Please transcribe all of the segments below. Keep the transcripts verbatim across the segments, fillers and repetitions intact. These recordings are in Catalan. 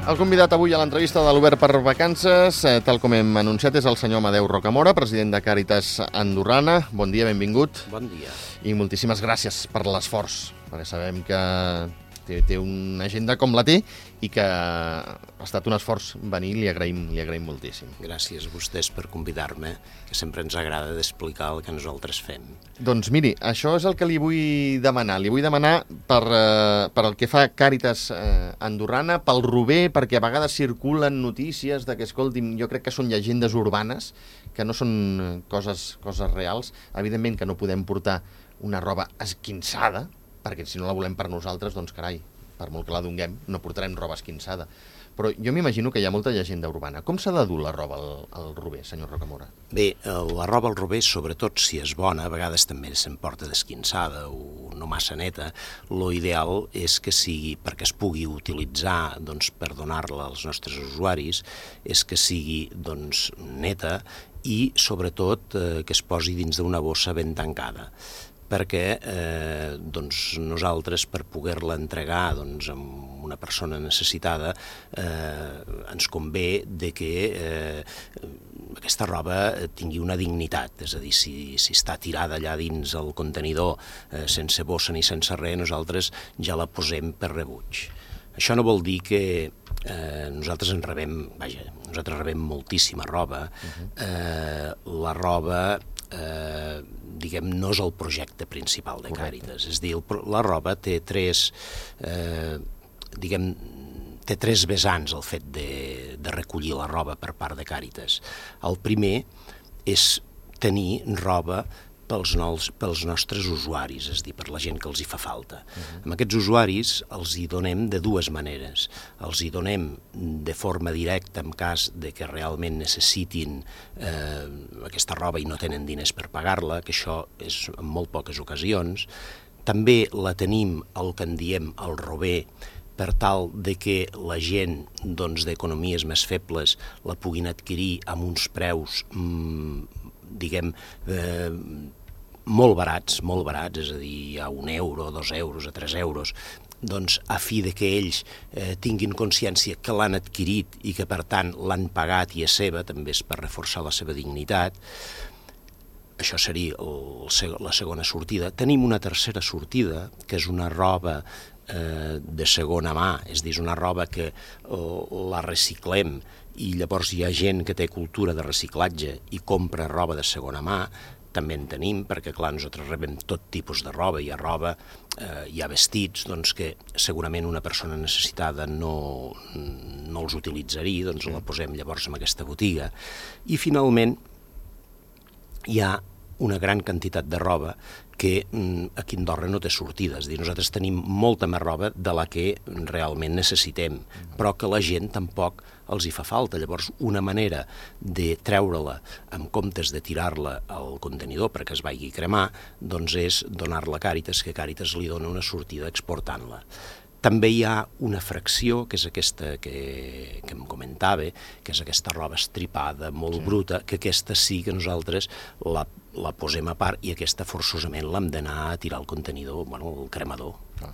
El convidat avui a l'entrevista de l'Obert per Vacances, eh, tal com hem anunciat, és el senyor Amadeu Rocamora, president de Càritas Andorrana. Bon dia, benvingut. Bon dia. I moltíssimes gràcies per l'esforç, perquè sabem que té, té una agenda com la té i que ha estat un esforç venir, li agraïm, li agraïm moltíssim. Gràcies a vostès per convidar-me, que sempre ens agrada d'explicar el que nosaltres fem. Doncs miri, això és el que li vull demanar. Li vull demanar per, eh, per el que fa Càritas eh, Andorrana, pel Rober, perquè a vegades circulen notícies de que, escolti'm, jo crec que són llegendes urbanes, que no són coses, coses reals. Evidentment que no podem portar una roba esquinçada, perquè si no la volem per nosaltres, doncs carai, per molt que la donguem, no portarem roba esquinçada. Però jo m'imagino que hi ha molta llegenda urbana. Com s'ha de dur la roba al, al Rober, senyor Rocamora? Bé, la roba al Rober, sobretot si és bona, a vegades també se'n porta d'esquinçada o no massa neta. Lo ideal és que sigui, perquè es pugui utilitzar doncs, per donar-la als nostres usuaris, és que sigui doncs, neta i sobretot eh, que es posi dins d'una bossa ben tancada, perquè eh, doncs nosaltres per poder-la entregar doncs, a una persona necessitada eh, ens convé de que eh, aquesta roba tingui una dignitat, és a dir, si, si està tirada allà dins el contenidor eh, sense bossa ni sense res, nosaltres ja la posem per rebuig. Això no vol dir que eh, nosaltres en rebem, vaja, nosaltres rebem moltíssima roba, uh-huh. eh, la roba Eh, diguem, no és el projecte principal de Càritas. És dir, la roba té tres, eh, diguem, té tres vessants el fet de, de recollir la roba per part de Càritas. El primer és tenir roba pels, nous, pels nostres usuaris, és a dir, per la gent que els hi fa falta. Uh-huh. Amb aquests usuaris els hi donem de dues maneres. Els hi donem de forma directa en cas de que realment necessitin eh, aquesta roba i no tenen diners per pagar-la, que això és en molt poques ocasions. També la tenim el que en diem el Rober, per tal de que la gent doncs, d'economies més febles la puguin adquirir amb uns preus mmm, diguem, eh, molt barats, molt barats, és a dir, a un euro, a dos euros, a tres euros, doncs a fi de que ells eh, tinguin consciència que l'han adquirit i que per tant l'han pagat i és seva, també és per reforçar la seva dignitat. Això seria el, la segona sortida. Tenim una tercera sortida, que és una roba eh, de segona mà, és a dir, una roba que eh, la reciclem i llavors hi ha gent que té cultura de reciclatge i compra roba de segona mà. També en tenim, perquè clar, nosaltres rebem tot tipus de roba, hi ha roba, eh, hi ha vestits, doncs que segurament una persona necessitada no, no els utilitzaria, doncs la posem llavors en aquesta botiga. I finalment hi ha una gran quantitat de roba que aquí a Andorra no té sortida, és a dir, nosaltres tenim molta més roba de la que realment necessitem, però que la gent tampoc els hi fa falta. Llavors, una manera de treure-la en comptes de tirar-la al contenidor perquè es vagi a cremar, doncs és donar-la a Càritas, que Càritas li dona una sortida exportant-la. També hi ha una fracció, que és aquesta que, que em comentava, que és aquesta roba estripada, molt sí. bruta, que aquesta sí que nosaltres la, la posem a part i aquesta forçosament l'hem d'anar a tirar al contenidor, bueno, al cremador. Ah.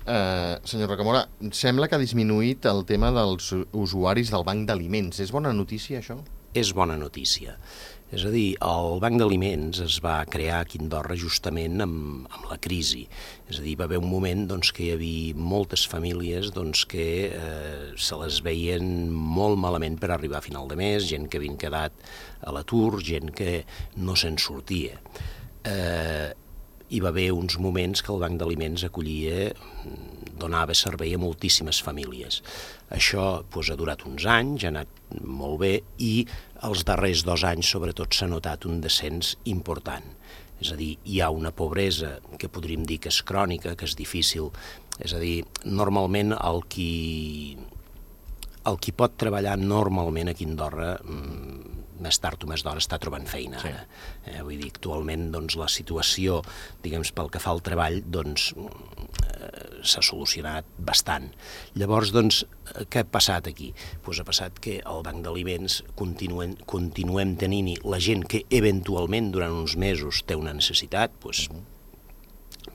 Uh, senyor Rocamora, sembla que ha disminuït el tema dels usuaris del banc d'aliments. És bona notícia, això? És bona notícia. És a dir, el Banc d'Aliments es va crear aquí a Andorra justament amb, amb la crisi. És a dir, va haver un moment doncs, que hi havia moltes famílies doncs, que eh, se les veien molt malament per arribar a final de mes, gent que havien quedat a l'atur, gent que no se'n sortia. Eh, hi va haver uns moments que el Banc d'Aliments acollia, donava servei a moltíssimes famílies. Això doncs, ha durat uns anys, ha anat molt bé i els darrers dos anys sobretot s'ha notat un descens important. És a dir, hi ha una pobresa que podríem dir que és crònica, que és difícil. És a dir, normalment el qui, el qui pot treballar normalment aquí a Andorra més tard o més d'hora està trobant feina ara. Sí. Eh, vull dir, actualment doncs, la situació, diguem, pel que fa al treball, doncs, eh, s'ha solucionat bastant. Llavors, doncs, què ha passat aquí? Pues ha passat que el Banc d'Aliments continuem, continuem tenint-hi la gent que eventualment durant uns mesos té una necessitat, pues,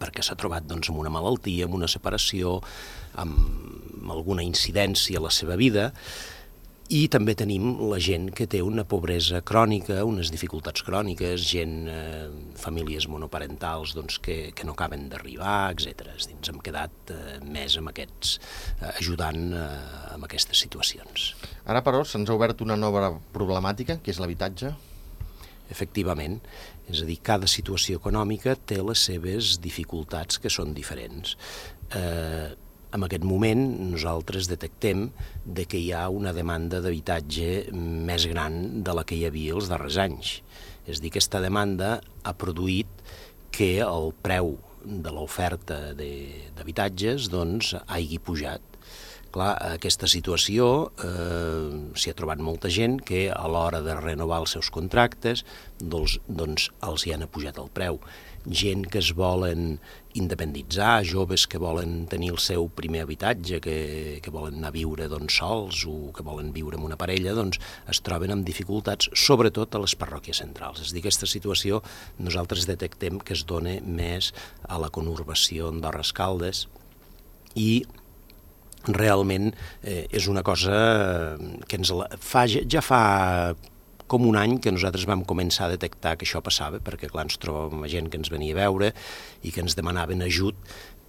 perquè s'ha trobat doncs, amb una malaltia, amb una separació, amb alguna incidència a la seva vida. I també tenim la gent que té una pobresa crònica, unes dificultats cròniques, gent, eh, famílies monoparentals doncs, que, que no acaben d'arribar, etcètera. Ens hem quedat eh, més amb aquests, eh, ajudant eh, amb aquestes situacions. Ara, però, se'ns ha obert una nova problemàtica, que és l'habitatge. Efectivament, és a dir, cada situació econòmica té les seves dificultats que són diferents. Eh, En aquest moment nosaltres detectem de que hi ha una demanda d'habitatge més gran de la que hi havia els darrers anys. És a dir, aquesta demanda ha produït que el preu de l'oferta d'habitatges doncs, hagi pujat. Clar, aquesta situació eh, s'hi ha trobat molta gent que a l'hora de renovar els seus contractes doncs, doncs els hi han pujat el preu. Gent que es volen independitzar, joves que volen tenir el seu primer habitatge, que, que volen anar a viure doncs, sols o que volen viure amb una parella, doncs es troben amb dificultats, sobretot a les parròquies centrals. És a dir, aquesta situació nosaltres detectem que es dona més a la conurbació Andorra-Escaldes i realment eh, és una cosa que ens la, fa, ja fa com un any que nosaltres vam començar a detectar que això passava, perquè clar, ens trobàvem gent que ens venia a veure i que ens demanaven ajut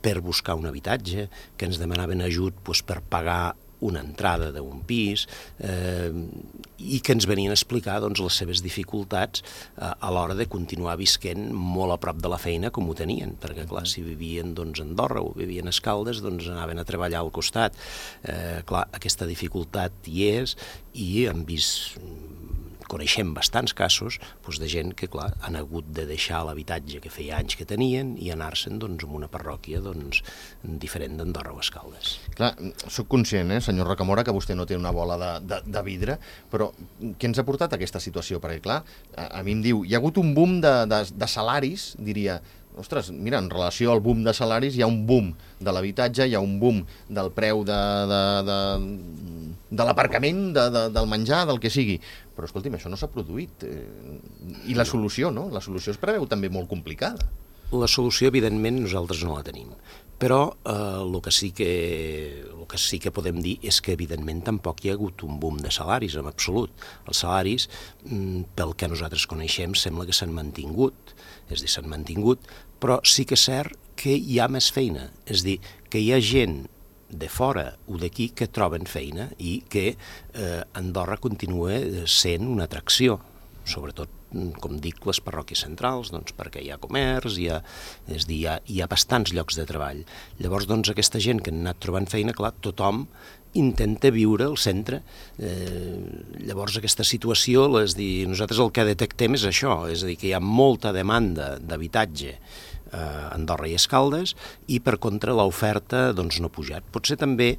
per buscar un habitatge, que ens demanaven ajut doncs, per pagar una entrada d'un pis eh, i que ens venien a explicar doncs, les seves dificultats eh, a l'hora de continuar visquent molt a prop de la feina com ho tenien, perquè clar, si vivien doncs, a Andorra o vivien a Escaldes, doncs anaven a treballar al costat. Eh, clar, aquesta dificultat hi és i hem vist... Coneixem bastants casos doncs, de gent que clar, han hagut de deixar l'habitatge que feia anys que tenien i anar-se'n doncs, a una parròquia doncs, diferent d'Andorra o Escaldes. Clar, soc conscient, eh, senyor Rocamora, que vostè no té una bola de, de, de vidre, però què ens ha portat a aquesta situació? Perquè clar, a, a mi em diu, hi ha hagut un boom de, de, de salaris, diria... Ostres, mira, en relació al boom de salaris hi ha un boom de l'habitatge, hi ha un boom del preu de, de, de, de l'aparcament, de, de, del menjar, del que sigui. Però, escolti'm, això no s'ha produït. I la solució, no? La solució es preveu també molt complicada. La solució, evidentment, nosaltres no la tenim. Però eh, el que sí que, el que sí que podem dir és que, evidentment, tampoc hi ha hagut un boom de salaris, en absolut. Els salaris, pel que nosaltres coneixem, sembla que s'han mantingut, és a dir, s'han mantingut, però sí que és cert que hi ha més feina, és a dir, que hi ha gent de fora o d'aquí que troben feina i que eh, Andorra continua sent una atracció, sobretot, com dic, les parròquies centrals, doncs, perquè hi ha comerç, hi ha, és dir, hi ha, hi ha bastants llocs de treball. Llavors, doncs, aquesta gent que han anat trobant feina, clar, tothom intenta viure al centre. Eh, llavors, aquesta situació, és dir, nosaltres el que detectem és això, és a dir, que hi ha molta demanda d'habitatge a Andorra i Escaldes i, per contra, l'oferta doncs, no ha pujat. Potser també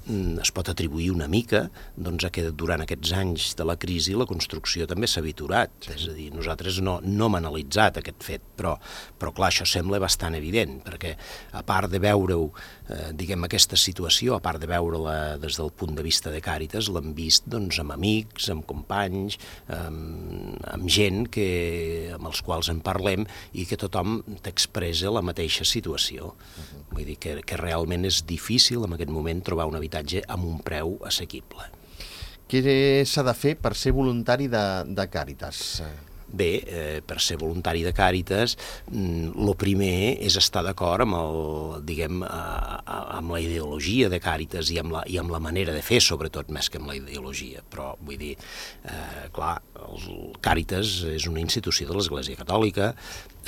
es pot atribuir una mica doncs, a que durant aquests anys de la crisi la construcció també s'ha aviturat. Sí. És a dir, nosaltres no, no hem analitzat aquest fet, però, però clar, això sembla bastant evident, perquè a part de veure-ho, eh, diguem, aquesta situació, a part de veure-la des del punt de vista de Càritas, l'hem vist doncs, amb amics, amb companys, amb, amb gent que, amb els quals en parlem i que tothom t'expressa la mateixa situació. Uh-huh. Vull dir que, que realment és difícil en aquest moment trobar un habitatge amb un preu assequible. Què s'ha de fer per ser voluntari de, de Càritas? Bé, eh, per ser voluntari de Càritas, el primer és estar d'acord amb, el, diguem, a, a, amb la ideologia de Càritas i amb, la, i amb la manera de fer, sobretot, més que amb la ideologia. Però, vull dir, eh, clar, el Càritas és una institució de l'Església Catòlica,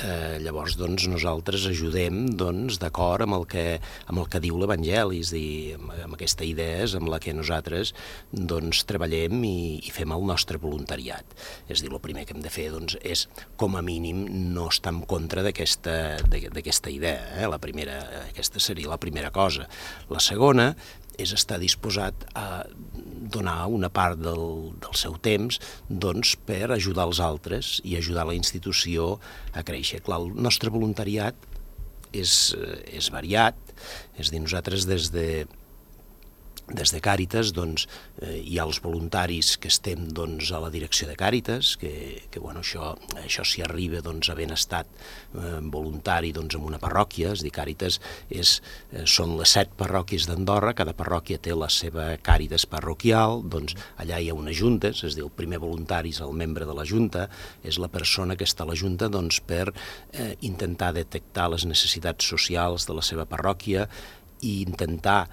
eh, llavors, doncs, nosaltres ajudem, doncs, d'acord amb el que, amb el que diu l'Evangeli, és a dir, amb, amb aquesta idea és amb la que nosaltres, doncs, treballem i, i fem el nostre voluntariat. És a dir, el primer que hem de fer doncs, és, com a mínim, no estar en contra d'aquesta idea. Eh? La primera, aquesta seria la primera cosa. La segona és estar disposat a donar una part del, del seu temps doncs, per ajudar els altres i ajudar la institució a créixer. Clar, el nostre voluntariat és, és variat, és a dir, nosaltres des de des de Càritas doncs, eh, hi ha els voluntaris que estem doncs, a la direcció de Càritas, que, que bueno, això, això s'hi arriba doncs, havent estat eh, voluntari doncs, en una parròquia, és a dir, Càritas és, eh, són les set parròquies d'Andorra, cada parròquia té la seva Càritas parroquial, doncs allà hi ha unes juntes, és a dir, el primer voluntari és el membre de la junta, és la persona que està a la junta doncs, per eh, intentar detectar les necessitats socials de la seva parròquia i intentar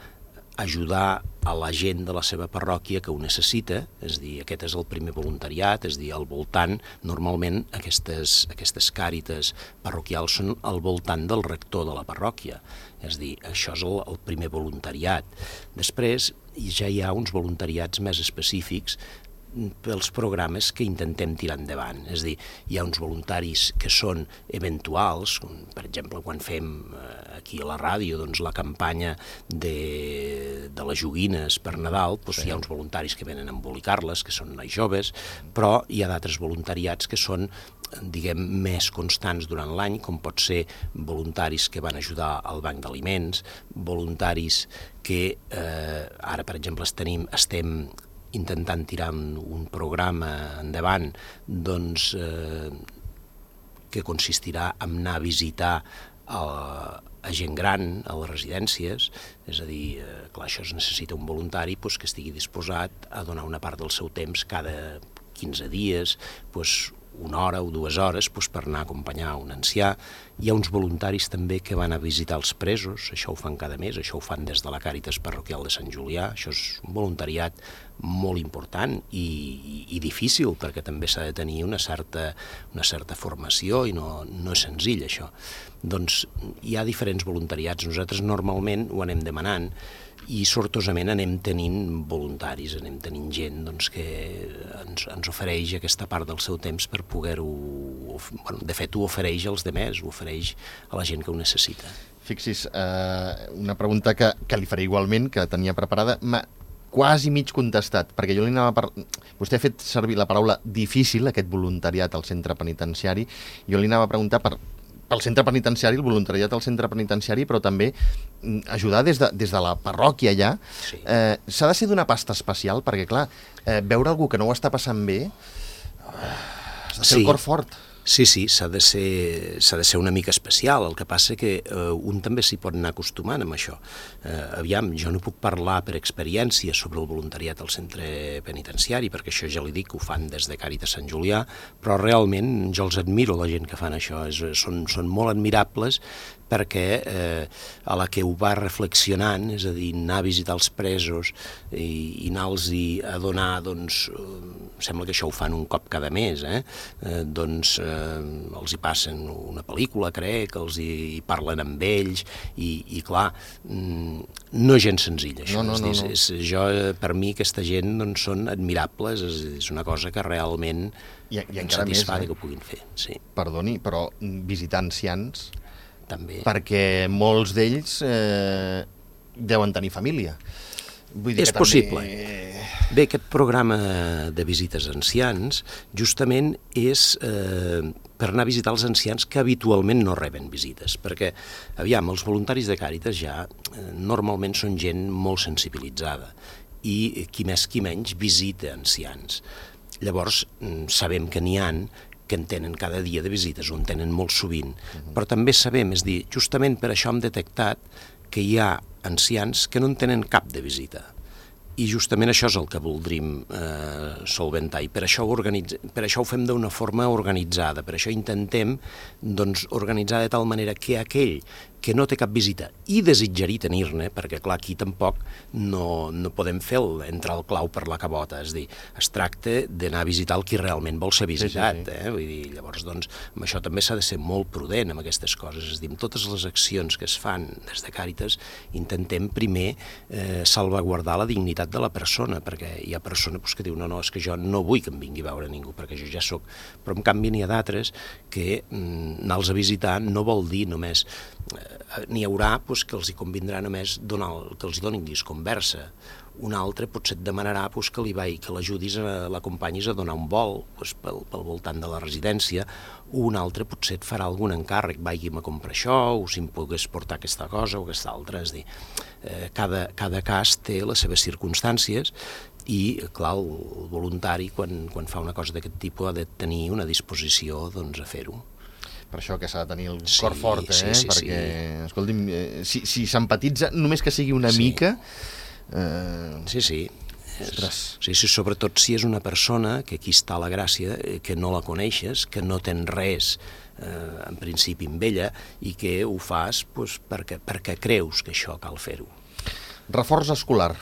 ajudar a la gent de la seva parròquia que ho necessita, és a dir, aquest és el primer voluntariat, és a dir, al voltant, normalment aquestes, aquestes càrites parroquials són al voltant del rector de la parròquia, és a dir, això és el, el primer voluntariat. Després ja hi ha uns voluntariats més específics pels programes que intentem tirar endavant. És a dir, hi ha uns voluntaris que són eventuals, per exemple, quan fem aquí a la ràdio doncs, la campanya de, de les joguines per Nadal, doncs, sí. Hi ha uns voluntaris que venen a embolicar-les, que són nois joves, però hi ha d'altres voluntariats que són diguem, més constants durant l'any, com pot ser voluntaris que van ajudar al banc d'aliments, voluntaris que eh, ara, per exemple, tenim, estem intentant tirar un programa endavant doncs, eh, que consistirà en anar a visitar a, a gent gran a les residències, és a dir, eh, clar, això es necessita un voluntari doncs, que estigui disposat a donar una part del seu temps cada quinze dies, doncs, una hora o dues hores doncs, per anar a acompanyar un ancià. Hi ha uns voluntaris també que van a visitar els presos, això ho fan cada mes, això ho fan des de la Càritas Parroquial de Sant Julià, això és un voluntariat molt important i, i, i difícil, perquè també s'ha de tenir una certa, una certa formació i no, no és senzill això. Doncs hi ha diferents voluntariats, nosaltres normalment ho anem demanant, i sortosament anem tenint voluntaris, anem tenint gent doncs, que ens, ens ofereix aquesta part del seu temps per poder-ho... Bueno, de fet, ho ofereix als demés, ho ofereix a la gent que ho necessita. Fixis, eh, una pregunta que, que li faré igualment, que tenia preparada, m'ha quasi mig contestat, perquè jo li anava per... Vostè ha fet servir la paraula difícil, aquest voluntariat al centre penitenciari, jo li anava a preguntar per... pel centre penitenciari, el voluntariat al centre penitenciari, però també ajudar des de, des de la parròquia ja. Sí. Eh, s'ha de ser d'una pasta especial, perquè, clar, eh, veure algú que no ho està passant bé, eh, has de ser sí. El cor fort. Sí, sí, s'ha de ser, s'ha de ser una mica especial, el que passa que eh, un també s'hi pot anar acostumant amb això. Eh, aviam, jo no puc parlar per experiència sobre el voluntariat al centre penitenciari, perquè això ja li dic que ho fan des de Càritas Sant Julià, però realment jo els admiro, la gent que fan això, és, són, són molt admirables, perquè eh, a la que ho va reflexionant, és a dir, anar a visitar els presos i, i anar-los a donar, doncs, eh, sembla que això ho fan un cop cada mes, eh? Eh, doncs eh, els hi passen una pel·lícula, crec, els hi, hi parlen amb ells, i, i clar, no és gens senzill, això. No, no, no, és, no. És, jo, per mi, aquesta gent doncs, són admirables, és, és una cosa que realment I, i em satisfà més, eh? que ho puguin fer. Sí. Perdoni, però visitar ancians... També. Perquè molts d'ells eh, deuen tenir família. Vull dir és que possible. També... Bé, aquest programa de visites a ancians justament és eh, per anar a visitar els ancians que habitualment no reben visites, perquè, aviam, els voluntaris de Càritas ja eh, normalment són gent molt sensibilitzada i qui més qui menys visita ancians. Llavors, sabem que n'hi ha que en tenen cada dia de visites, o en tenen molt sovint. Uh-huh. Però també sabem, és dir, justament per això hem detectat que hi ha ancians que no en tenen cap de visita. I justament això és el que voldrim eh, solventar, i per això, ho organitz... per això ho fem d'una forma organitzada, per això intentem doncs, organitzar de tal manera que aquell que no té cap visita i desitjaria tenir-ne, perquè clar, aquí tampoc no, no podem fer el, entrar el clau per la cabota, és dir, es tracta d'anar a visitar el qui realment vol ser visitat, sí, sí, sí. Eh? Vull dir, llavors, doncs, amb això també s'ha de ser molt prudent amb aquestes coses, és dir, amb totes les accions que es fan des de Càritas, intentem primer eh, salvaguardar la dignitat de la persona, perquè hi ha persones pues, que diuen, no, no, és que jo no vull que em vingui a veure ningú, perquè jo ja sóc, però en canvi n'hi ha d'altres que mm, anar-los a visitar no vol dir només n'hi haurà pues, que els hi convindrà només donar, que els hi donin conversa. Un altre potser et demanarà pues, que li vai, que l'ajudis, l'acompanyis a donar un vol pues, pel, pel voltant de la residència. Un altre potser et farà algun encàrrec, vaigi'm a comprar això, o si em pogués portar aquesta cosa o aquesta altra. És a dir, eh, cada, cada cas té les seves circumstàncies i, clar, el voluntari, quan, quan fa una cosa d'aquest tipus, ha de tenir una disposició doncs, a fer-ho. Per això que s'ha de tenir el sí, cor fort, eh? Sí, sí, perquè, sí. escolti'm, eh, si, si s'empatitza, només que sigui una sí. mica... Eh... Sí, sí. Ostres. Sí, sí, sobretot si és una persona, que aquí està la gràcia, que no la coneixes, que no tens res, eh, en principi, amb ella, i que ho fas pues, perquè, perquè creus que això cal fer-ho. Reforç escolar.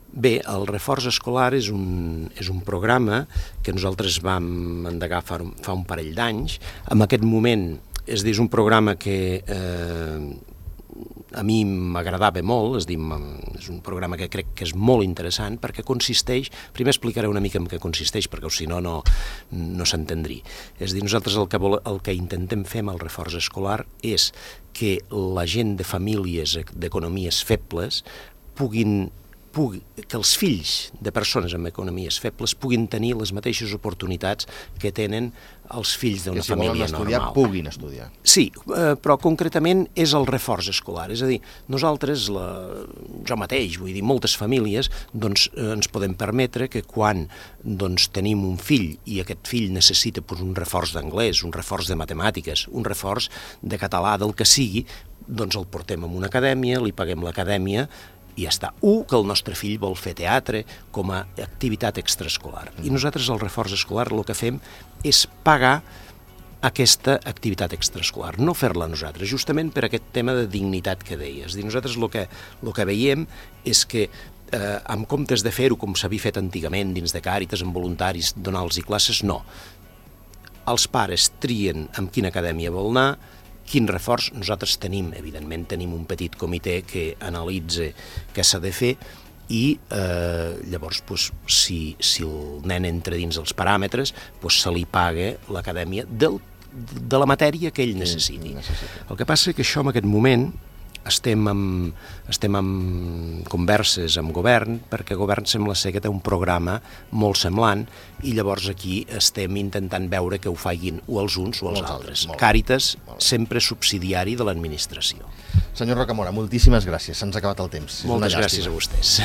Bé, el Reforç Escolar és un, és un programa que nosaltres vam endegar fa, fa un parell d'anys. En aquest moment, és dir, és un programa que eh, a mi m'agradava molt, és dir, és un programa que crec que és molt interessant perquè consisteix, primer explicaré una mica en què consisteix perquè si no, no, no s'entendria. És dir, nosaltres el que, vol, el que intentem fer amb el Reforç Escolar és que la gent de famílies d'economies febles puguin Pugui, que els fills de persones amb economies febles puguin tenir les mateixes oportunitats que tenen els fills d'una si família estudiar, normal. puguin estudiar. Sí, eh, però concretament és el reforç escolar. És a dir, nosaltres, la, jo mateix, vull dir, moltes famílies, doncs, eh, ens podem permetre que quan doncs, tenim un fill i aquest fill necessita pues, un reforç d'anglès, un reforç de matemàtiques, un reforç de català, del que sigui, doncs el portem a una acadèmia, li paguem l'acadèmia, i ja està. U, que el nostre fill vol fer teatre com a activitat extraescolar. I nosaltres, al Reforç Escolar, el que fem és pagar aquesta activitat extraescolar, no fer-la nosaltres, justament per aquest tema de dignitat que deies. És dir, nosaltres el que, el que veiem és que eh, en comptes de fer-ho com s'havia fet antigament dins de Càritas, amb voluntaris, donar-los classes, no. Els pares trien amb quina acadèmia vol anar, quin reforç. Nosaltres tenim, evidentment, tenim un petit comitè que analitza què s'ha de fer i eh, llavors, pues, si, si el nen entra dins els paràmetres, pues, se li paga l'acadèmia del, de la matèria que ell necessiti. El que passa és que això en aquest moment estem amb, estem amb converses amb govern, perquè el govern sembla ser que té un programa molt semblant i llavors aquí estem intentant veure que ho facin o els uns o els Molts altres. altres Càritas, sempre subsidiari de l'administració. Senyor Rocamora, moltíssimes gràcies. Se'ns ha acabat el temps. Moltes gràcies a vostès.